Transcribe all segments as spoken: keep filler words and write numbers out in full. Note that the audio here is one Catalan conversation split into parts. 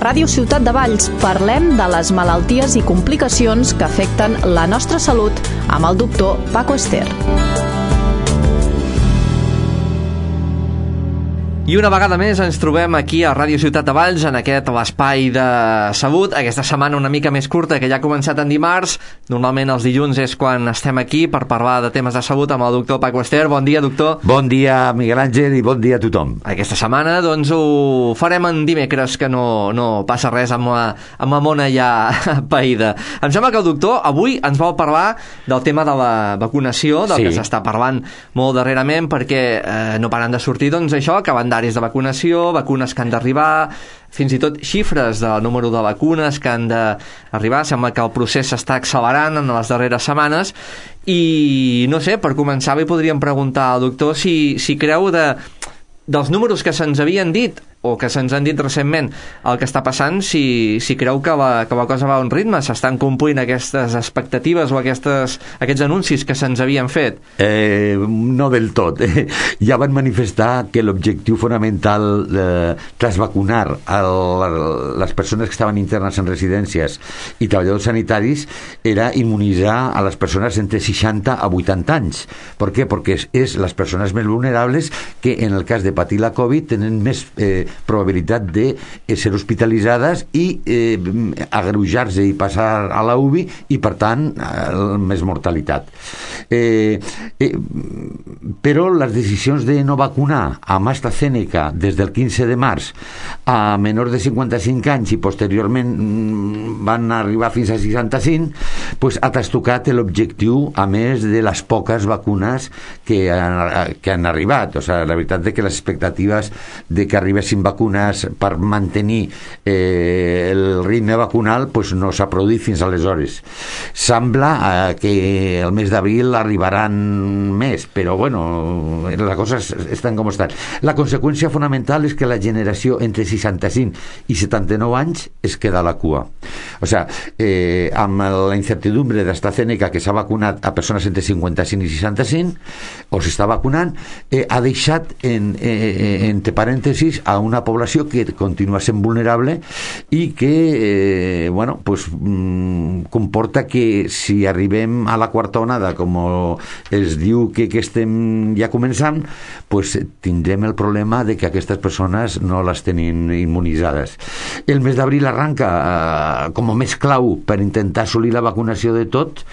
Ràdio Ciutat de Valls parlem de les malalties i complicacions que afecten la nostra salut amb el doctor Paco Ester. I una vegada més ens trobem aquí a Ràdio Ciutat de Valls en aquest l'espai de salut. Aquesta setmana una mica més curta, que ja ha començat en dimarts. Normalment els dilluns és quan estem aquí per parlar de temes de salut amb el doctor Paco Ester. Bon dia, doctor. Bon dia, Miguel Àngel, i bon dia a tothom. Aquesta setmana doncs ho farem en dimecres, que no, no passa res amb la, amb la mona ja païda. Em sembla que el doctor avui ens vol parlar del tema de la vacunació, del sí. que s'està parlant molt darrerament, perquè eh, no paren de sortir doncs això, que van de vacunació, vacunes que han d'arribar, fins i tot xifres del número de vacunes que han d'arribar. Sembla que el procés s'està accelerant en les darreres setmanes i no sé, per començar li podríem preguntar al doctor si, si creu de, dels números que se'ns havien dit o que se'ns han dit recentment el que està passant, si, si creu que la, que la cosa va a un ritme, s'estan complint aquestes expectatives o aquestes, aquests anuncis que se'ns havien fet? Eh, no del tot. Eh, ja van manifestar que l'objectiu fonamental eh, tras vacunar a la, les persones que estaven internes en residències i treballadors sanitaris era immunitzar a les persones entre seixanta a vuitanta anys. Per què? Perquè és, és les persones més vulnerables que en el cas de patir la Covid tenen més eh, probabilitat de ser hospitalitzades i eh, agreujar-se i passar a la U B I i per tant eh, més mortalitat. Eh, eh, però les decisions de no vacunar amb AstraZeneca des del quinze de març a menors de cinquanta-cinc anys i posteriorment van arribar fins a seixanta-cinc, pues, ha trastocat l'objectiu, a més de les poques vacunes que han, que han arribat. O sigui, la veritat de que les expectatives de que arribessin vacunes per mantenir eh, el ritme vacunal pues no s'ha produït fins aleshores. Sembla eh, que el mes d'abril arribaran més, però bueno, les coses estan com estan. La conseqüència fonamental és que la generació entre seixanta-cinc i setanta-nou anys es queda a la cua. O sigui, eh, amb la incertidumbre d'AstraZeneca, que s'ha vacunat a persones entre cinquanta-cinc i seixanta-cinc, o s'està vacunant, eh, ha deixat en, eh, entre parèntesis a una població que continua sent vulnerable i que eh, bueno, pues, mm, comporta que si arribem a la quarta onada, com es diu que, que estem ja començant, pues, tindrem el problema de que aquestes persones no les tenim immunitzades. El mes d'abril arranca eh, com a més clau per intentar assolir la vacunació de tot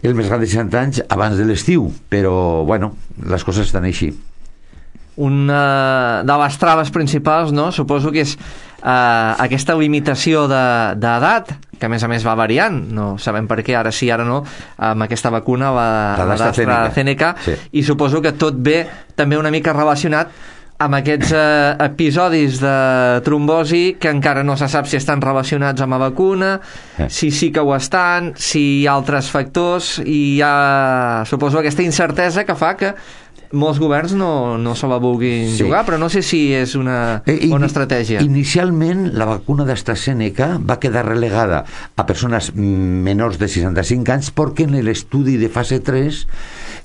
el més gran de seixanta anys abans de l'estiu, però bueno, les coses estan així. Una de les traves principals, no? Suposo que és eh, aquesta limitació d'edat, que a més a més va variant, no sabem per què, ara sí, ara no, amb aquesta vacuna, la, la d'AstraZeneca, sí. I suposo que tot ve també una mica relacionat amb aquests eh, episodis de trombosi que encara no se sap si estan relacionats amb la vacuna, eh. si sí que ho estan, si hi ha altres factors, i hi ha, suposo, aquesta incertesa que fa que molts governs no, no se la vulguin sí. jugar, però no sé si és una bona estratègia. Inicialment, la vacuna d'AstraZeneca va quedar relegada a persones menors de seixanta-cinc anys perquè en l'estudi de fase tres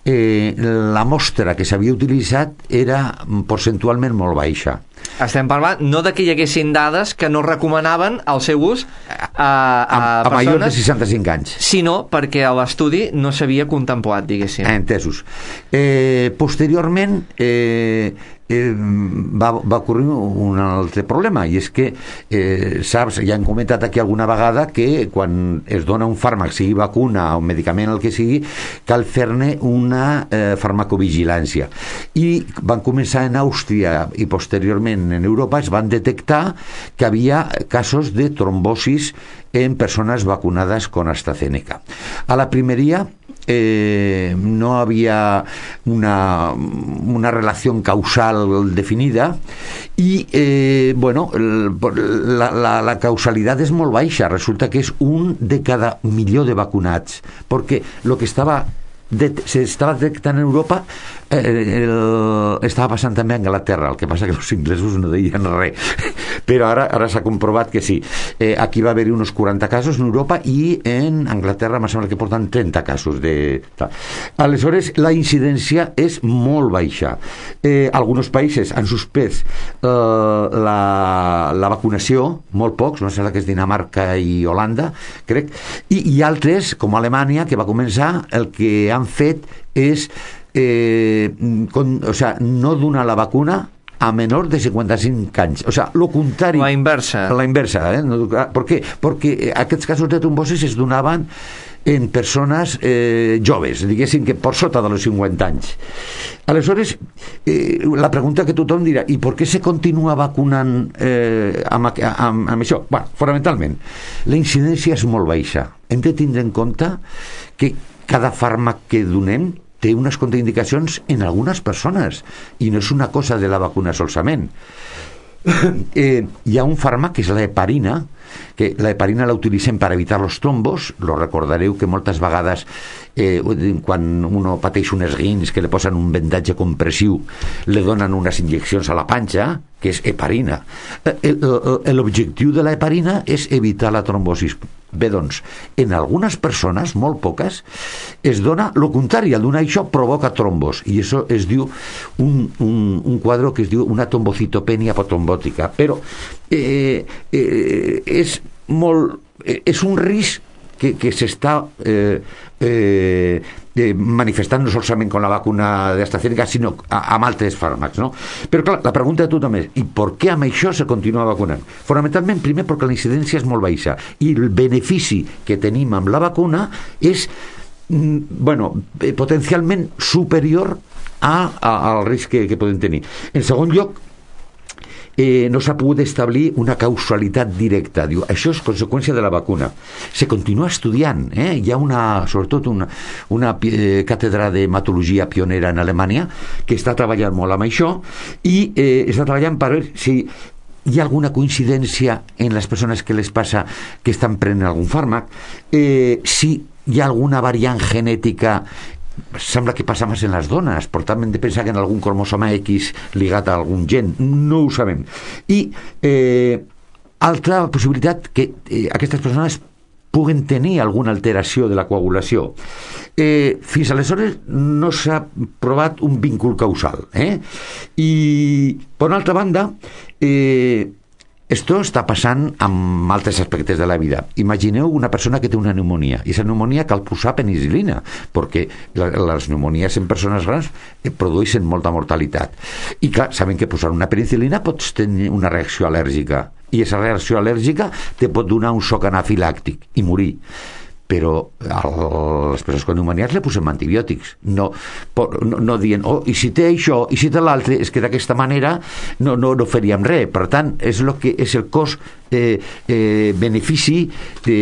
eh, la mostra que s'havia utilitzat era percentualment molt baixa. Estem parlant no de que hi haguessin dades que no recomanaven el seu ús a, a, a, a persones, majors de seixanta-cinc anys, sinó perquè a l'estudi no s'havia contemplat, diguéssim. Entesos. Eh, posteriorment eh, eh, va, va ocorrir un altre problema, i és que eh, saps, ja hem comentat aquí alguna vegada que quan es dona un fàrmac, sigui vacuna o un medicament, el que sigui, cal fer-ne una eh, farmacovigilància, i van començar en Àustria i posteriorment en Europa es van detectar que havia casos de trombosis en persones vacunades con AstraZeneca. A la primeria eh, no había una, una relación causal definida i eh, bueno, la, la, la causalitat és molt baixa, resulta que és un de cada milió de vacunats, perquè el que estava de, se estava detectant en Europa Eh, el, estava passant també a Anglaterra, el que passa que els inglesos no deien res, però ara, ara s'ha comprovat que sí. Eh, aquí va haver-hi uns quaranta casos en Europa i en Anglaterra em sembla que porten trenta casos de... Aleshores, la incidència és molt baixa. Eh, alguns països han suspès eh, la, la vacunació, molt pocs, no sé la que és Dinamarca i Holanda, crec, i, i altres, com Alemanya, que va començar, el que han fet és Eh, con, o sea, no donar la vacuna a menor de cinquanta-cinc anys, o sea, lo contrari, la inversa, la inversa, eh? ¿Por qué? Porque aquests casos de trombosis es donaven en persones eh, joves, diguéssim que per sota dels cinquanta anys. Aleshores, eh, la pregunta que tothom dirà, i per què se continua vacunant eh, amb, amb, amb això? Bueno, fonamentalment, la incidència és molt baixa. Hem de tindre en compte que cada fàrmac que donem té unes contraindicacions en algunes persones i no és una cosa de la vacuna solament. eh, hi ha un fàrmac que és la heparina, que la heparina la utilitzem per evitar els trombos. Lo recordareu que moltes vegades eh, quan uno pateix un esguins que li posen un vendatge compressiu li donen unes injeccions a la panxa, que és heparina. L'objectiu de la heparina és evitar la trombosis. Bé, doncs, en algunes persones, molt poques, es dona el contrari, al donar això provoca trombos, i això es diu un, un, un quadre que es diu una trombocitopènia apotrombòtica, però eh, eh, és molt, eh, és un risc que, que s'està eh, eh, eh, manifestant no solament amb la vacuna d'AstraZeneca, sinó amb altres fàrmacs, no? Però clar, la pregunta de tothom és, i per què amb això se continua vacunant? Fonamentalment, primer, perquè la incidència és molt baixa i el benefici que tenim amb la vacuna és bueno, potencialment superior a, a, al risc que, que podem tenir. En segon lloc, Eh, no s'ha pogut establir una causalitat directa. Diu, això és conseqüència de la vacuna. Se continua estudiant, eh? Hi ha una, sobretot una, una eh, càtedra d'hematologia pionera en Alemanya que està treballant molt amb això i eh, està treballant per veure si hi ha alguna coincidència en les persones que les passa que estan prenent algun fàrmac, eh, si hi ha alguna variant genètica. Sembla que passa més en les dones, per tant hem de pensar que en algun cromosoma X ligat a algun gen, no ho sabem. I eh, altra possibilitat, que eh, aquestes persones puguen tenir alguna alteració de la coagulació. Eh, fins aleshores no s'ha provat un vincul causal, eh? I per una altra banda, eh, esto està passant amb altres aspectes de la vida. Imagineu una persona que té una pneumonia i aquesta pneumonia cal posar penicilina perquè les pneumonies en persones grans produeixen molta mortalitat i clar, saben que posar una penicilina pots tenir una reacció al·lèrgica i aquesta reacció al·lèrgica te pot donar un xoc anafilàctic i morir. Però a les persones con pneumonies le posem antibiòtics, no, no, no dient, oh, i si té això, i si té l'altre, és que d'aquesta manera no, no, no faríem res. Per tant, és, lo que, és el cost eh, eh, benefici de,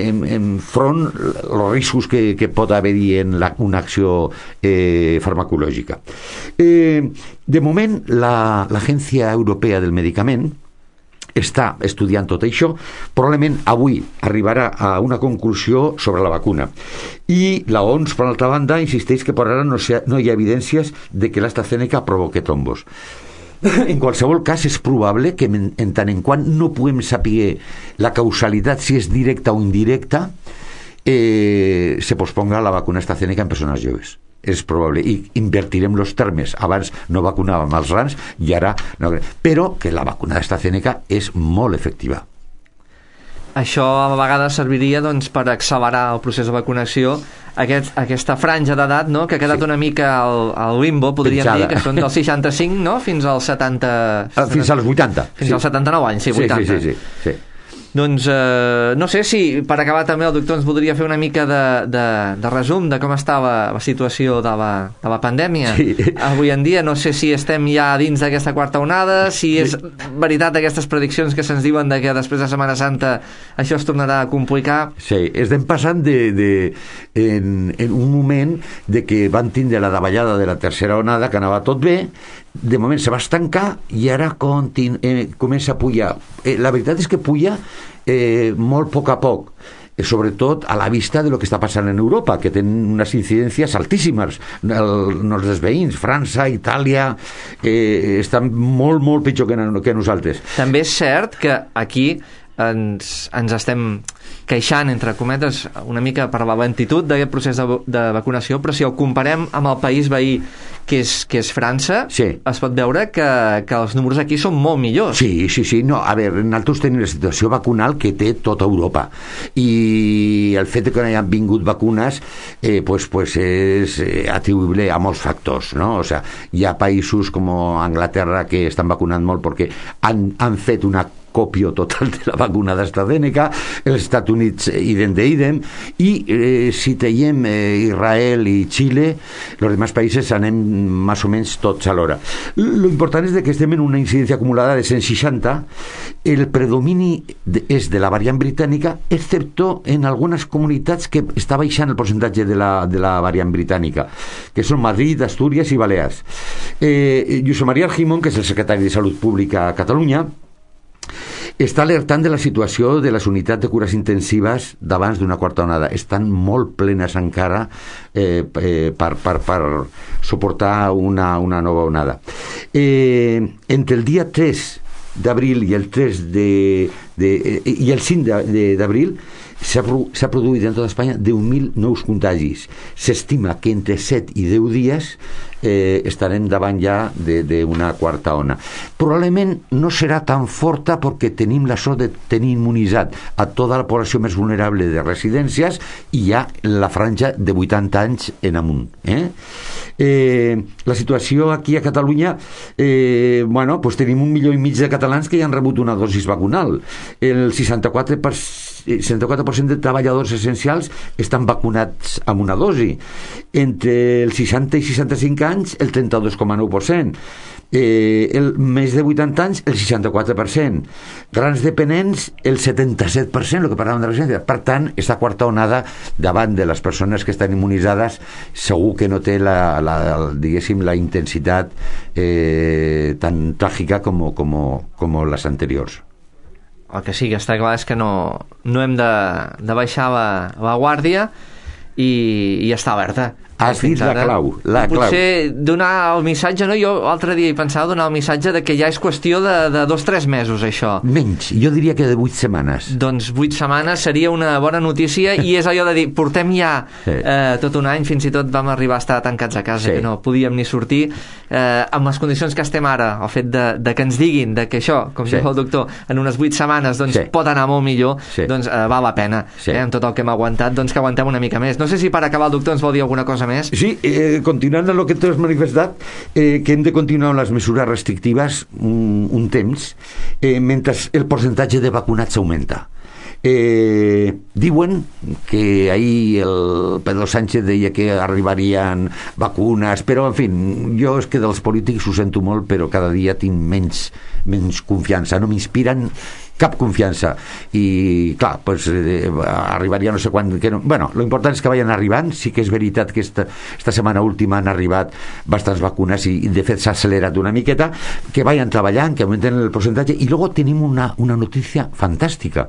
en, en front els riscos que, que pot haver-hi en la, una acció eh, farmacològica. Eh, de moment, la, l'Agència Europea del Medicament està estudiant tot això, probablement avui arribarà a una conclusió sobre la vacuna. I la O M S, per altra banda, insisteix que per ara no, sea, no hi ha evidències de que l'AstraZeneca provoqui trombos. En qualsevol cas, és probable que en, en tant en quant no puguem saber la causalitat, si és directa o indirecta, eh, se posponga la vacuna AstraZeneca en persones joves. És probable, i invertirem els termes. Abans no vacunàvem els grans i ara no, però que la vacuna d'AstraZeneca és molt efectiva. Això a vegades serviria doncs, per accelerar el procés de vacunació, aquest, aquesta franja d'edat, no?, que ha quedat sí. una mica al, al limbo, podríem Penjada. dir, que són dels seixanta-cinc, no?, fins als setanta... Fins als vuitanta. Fins sí. als setanta-nou anys, sí, vuitanta. Sí, sí, sí, sí. sí. Doncs eh, no sé si per acabar també el doctor ens voldria fer una mica de, de, de resum de com estava la situació de la, de la pandèmia sí. avui en dia. No sé si estem ja dins d'aquesta quarta onada, si és sí. veritat aquestes prediccions que se'ns diuen de que després de Setmana Santa això es tornarà a complicar. Sí, estem passant de, de, en, en un moment de que van tindre la davallada de la tercera onada, que anava tot bé, de moment se va estancar i ara continu, eh, comença a pujar. Eh, la veritat és que puja eh, molt a poc a poc. sobretot a la vista de lo que està passant en Europa, que tenen unes incidències altíssimes. El, els veïns, França, Itàlia, eh, estan molt, molt pitjor que, que nosaltres. També és cert que aquí ens, ens estem queixant, entre cometes, una mica per la lentitud d'aquest procés de, de vacunació, però si ho comparem amb el país veí, que és, que és França, sí, es pot veure que, que els números aquí són molt millors. Sí, sí, sí. No, a veure, nosaltres tenim la situació vacunal que té tota Europa, i el fet que no hi han vingut vacunes eh, pues, pues és atribuïble a molts factors, no? O sea, hi ha països com Anglaterra que estan vacunant molt perquè han, han fet una còpia total de la vacuna d'AstraZeneca, els Estats Units idem de idem, i eh, si teiem eh, Israel i Xile, els demás països anem més o menys tots alhora. Lo important és de que estem en una incidència acumulada de cent seixanta, el predomini de, és de la variant britànica, excepto en algunes comunitats que està baixant el percentatge de la, de la variant britànica, que són Madrid, Astúries i Balears. Eh, Josep Maria Argimon, que és el secretari de Salut Pública a Catalunya, està alertant de la situació de les unitats de cures intensives d'abans d'una quarta onada. Estan molt plenes encara eh, eh, per, per, per suportar una, una nova onada. Eh, entre el dia tres d'abril i el tres de, de, eh, i el cinc d'abril s'ha, s'ha produït en tota Espanya deu mil nous contagis. S'estima que entre set i deu dies eh, estarem davant ja d'una quarta ona. Probablement no serà tan forta perquè tenim la sort de tenir immunitzat a tota la població més vulnerable de residències i ja la franja de vuitanta anys en amunt. Eh? Eh, la situació aquí a Catalunya, eh, bueno, pues tenim un milió i mig de catalans que ja han rebut una dosis vacunal. El seixanta-quatre per cent seixanta-quatre per cent de treballadors essencials estan vacunats amb una dosi. Entre els seixanta i seixanta-cinc anys, el trenta-dos coma nou per cent. Eh, el més de vuitanta anys, el seixanta-quatre per cent. Grans dependents, el setanta-set per cent, el que parlàvem de residència. Per tant, aquesta quarta onada davant de les persones que estan immunitzades segur que no té la, la, diguéssim, la intensitat eh, tan tràgica com, com, com les anteriors. El que sí que està clar és que no, no hem de, de baixar la, la guàrdia i, i estar alerta. Has dit la clau, la clau. Potser donar el missatge, no? Jo l'altre dia hi pensava donar el missatge de que ja és qüestió de, de dos o tres mesos, això. Menys, jo diria que de vuit setmanes. Doncs vuit setmanes seria una bona notícia i és allò de dir, portem ja sí. eh, tot un any, fins i tot vam arribar a estar tancats a casa, sí. que no podíem ni sortir. Eh, amb les condicions que estem ara, el fet de, de que ens diguin de que això, com sí. diu el doctor, en unes vuit setmanes doncs, sí. pot anar molt millor, sí. doncs eh, val la pena. Sí. Eh, amb tot el que hem aguantat, doncs que aguantem una mica més. No sé si per acabar el doctor ens vol dir alguna cosa més. Sí, eh, continuant amb el que tu has manifestat, eh, que hem de continuar amb les mesures restrictives un, un temps, eh, mentre el percentatge de vacunats augmenta. Eh, diuen que ahir el Pedro Sánchez deia que arribarien vacunes, però en fi, jo és que dels polítics ho sento molt, però cada dia tinc menys, menys confiança, no m'inspiren cap confiança i clar, pues, eh, arribaria no sé quan que no. Bueno, lo important és que vayan arribant. Sí que és veritat que esta, esta setmana última han arribat bastants vacunes i, i de fet s'ha accelerat una miqueta, que vayan treballant, que augmenten el percentatge. I luego tenim una, una notícia fantàstica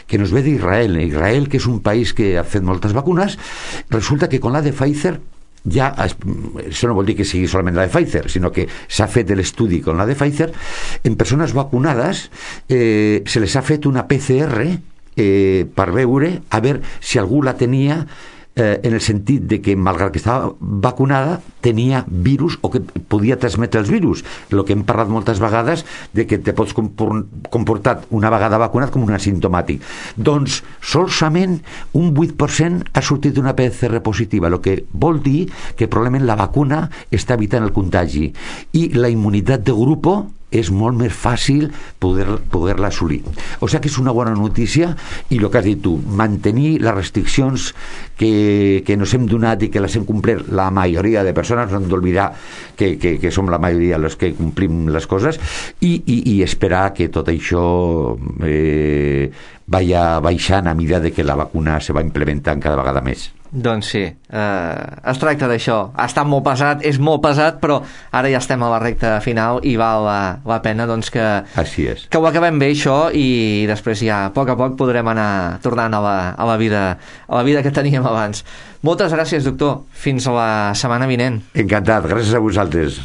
que nos ve d'Israel. Israel, que és un país que ha fet moltes vacunes, resulta que con la de Pfizer ja, això no vol dir que sigui solament la de Pfizer, sinó que s'ha fet l'estudi con la de Pfizer en persones vacunades, eh, se les ha fet una P C R eh, per veure a veure si algú la tenia, eh, en el sentit de que malgrat que estava vacunada tenia virus o que podia transmetre els virus, el que hem parlat moltes vegades de que te pots comportar una vegada vacunat com un asimptomàtic. Doncs solament un vuit per cent ha sortit d'una P C R positiva, el que vol dir que probablement la vacuna està evitant el contagi i la immunitat de grup és molt més fàcil poder, poder-la assolir. O sigui que és una bona notícia i el que has dit tu, mantenir les restriccions que, que nos hem donat i que les hem complert la majoria de persones, no hem d'oblidar que, que, que som la majoria els que complim les coses i, i, i esperar que tot això eh, vaya baixant a mesura de que la vacuna se va implementant cada vegada més. Doncs sí, eh, es tracta d'això. Ha estat molt pesat, és molt pesat, però ara ja estem a la recta final i val la, la pena doncs, que, Així és. que ho acabem bé això i després ja a poc a poc podrem anar tornant a la, a la, vida, a la vida que teníem abans. Moltes gràcies, doctor. Fins a la setmana vinent. Encantat, gràcies a vosaltres.